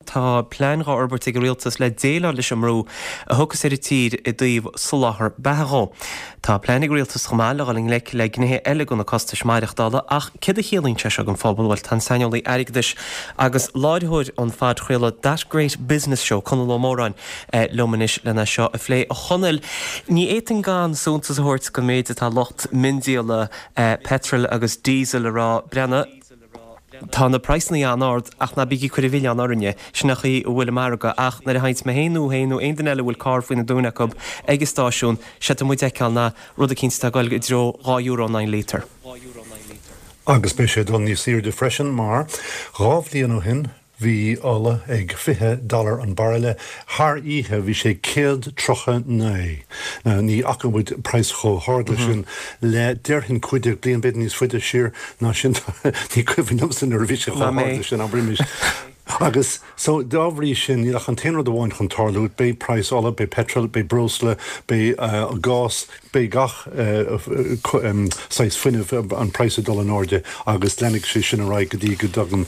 Tá plean dhá fhorbairt ag an Rialtas le déileáil leis an mbrú a thiocfas ar an tír i dtaobh soláthar beatha dhó. Tá plean ag an Rialtas chomh maith le dhul i ngleic le gnéithe eile de na costais maireachtála ach céard a chiallaíonn sé seo don phobal? Bhuel, tá an saineolaí airgeadais agus láithreoir an phodchraoladh That Great Business Show, Conall Ó Móráin, liom anois lena seo a phlé. A Chonaill, ní fhéadfainn gan suntas a thabhairt don méid atá lucht miondíola peitril agus díosail a rá, breathnaigh, tá na praghsanna an-ard ach ná bígí ag cur an mhilleáin orainne, sin an chaoi a bhfuil an margadh ach nuair a théanns mé féin nó thú féin nó aon duine eile a bhfuil carr faoina dtóin acu ag an stáisiún, séard atá muid a fheiceáil ná rud eicínt atá ag dul i dtreo €2 in aghaidh an líotair. Agus beidh sé ag dul níos airde freisin mar dhá bhliain ó shin Bhí ola ag 20 dollar an bairille. Thar oíche bhí sé 139. Now ní fhaca muid praghas chomh hard leis sin le déarfainn 15 bliain, b'fhéidir níos faide siar ná sin. Ní cuimhin liomsa nuair a bhí sé chomh hard leis sin, abraimis. Agus so dá bhrí sin níl ach an t-aon rud amháin chun tarlú, beidh praghas ola, beidh petrol, beidh breosla, beidh gás, Beidh gach saghas fuinnimh, an praghas ag dul in airde agus leanfaidh sé sin ar aghaidh go dtí go dtagann,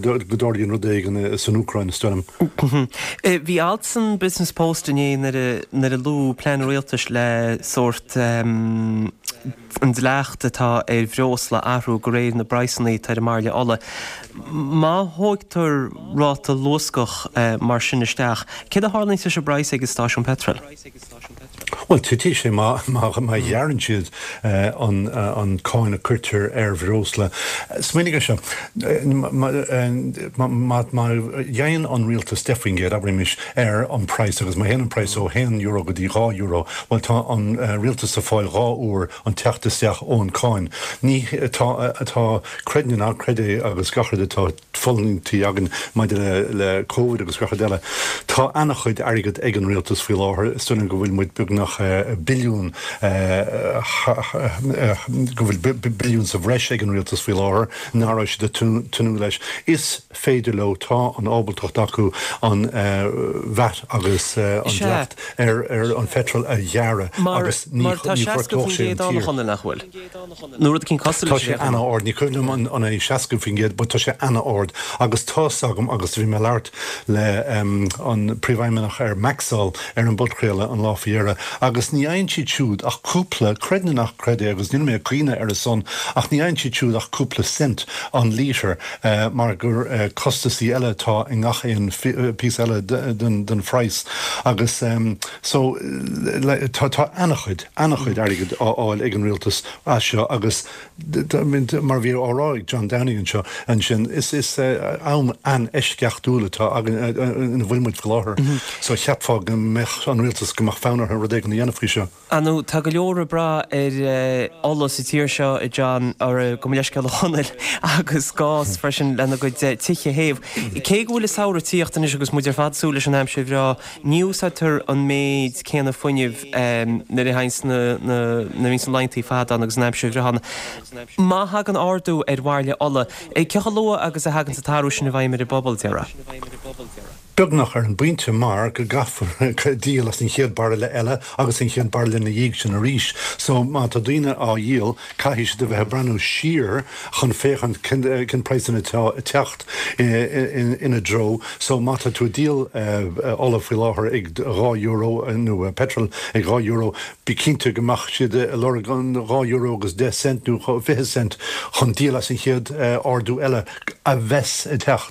go dtarlaíonn rud éigin san Úcráin, is dóigh liom. Bhí alt san Business Post inné nuair a luadh plean an rialtais le sórt an dleacht atá ar bhreosla a athrú de réir na bpraghsanna atá ar an mbairille ola. Má thógtar ráta luascach mar sin isteach, céard a tharlaíonns leis an bpraghas ag an stáisiún peitril? Bhuel, titfidh sé má ghearrann siad an cáin a cuirtear ar bhreosla. Smaoinigh ar seo, má dhéanann an rialtas 10%, abraimis, ar an praghas agus má théann an praghas ó €1 go dtí €2, bhuel tá an rialtas ag fáil dhá uair an teacht isteach ón cáin. Ní, tá, tá, creid nó ná creid é agus gach rud atá. fulaingtí againn maidir le Covid agus gach rud eile. Tá ana-chuid airgead ag an rialtas faoi láthair. Is dóigh liom go bhfuil muid beagnach billiún, go bhfuil billiún sa bhreis ag an rialtas faoi láthair nach raibh siad ag tnúth leis. Is féidir leo, tá an ábaltacht acu an VAT agus an dleacht ar an pheitreal a ghearradh agus ní ghortódh sé an tír. Nach bhfuil? Nó rud eicínt cosúil Tá sé ana-ard, ní cuimhin liom an an é 60% but tá sé ana-ard agus tá's agam agus bhí mé ag labhairt le an príomhfheidhmeannach ar Maxol ar an bpodchraoladh an lá faoi dheireadh agus ní fhaigheann siad siúd ach cúpla, creid nó ná creid é agus níl mé ag caoineadh ar a son ach ní fhaigheann siad siúd ach cúpla cent an lítear mar gur costasaí eile atá i ngach aon píosa eile den den phraghas agus so tá tá ana-chuid. an-chuid airgid á fháil ag an rialtas as seo agus mar a bhí á rá ag John Downing anseo ansin, is am an-eisceachtúil atá againn ina bhfuil muid faoi láthair so cheapfá go mbeadh an rialtas, go mbeadh fonn orthu rud éigin a dhéanamh faoi seo. Ar ndóigh, tá go leor ag brath ar ola sa tír seo, a John, gabh mo leithscéal a Chonaill, agus gás freisin lena gcuid tithe a théamh. Cé go bhfuil an samhradh ag tíocht anois agus muid ar fad ag súil leis an aimsir bhreá, Ní úsáidtear an méid céanna fuinnimh nuair a théanns na, nuair a bhíonns na laethantaí fada ann agus an aimsir bhreá ann. Má thagann ardú ar bhairille ola, cé chomh luath agus a thaganns an t-athrú sin i bhfeidhm ar an bpobal, déarfá? Beagnach ar an bpointe mar go gcaithfear díol as an chéad bairille eile agus an chéad bairille ina dhiaidh sin arís. So má tá daoine á dhíol, caithfidh siad a bheith ag breathnú siar chun féachaint cén praghsanna atá ag teacht. ina dtreo. So má tá tú ag díol ola faoi láthair ag €2 nó petrol ag €2, bí cinnte go mbeadh siad ag lorg an €2 agus 10 cent nó 20 cent chun díol as an chéad ardú eile a bheas ag teacht.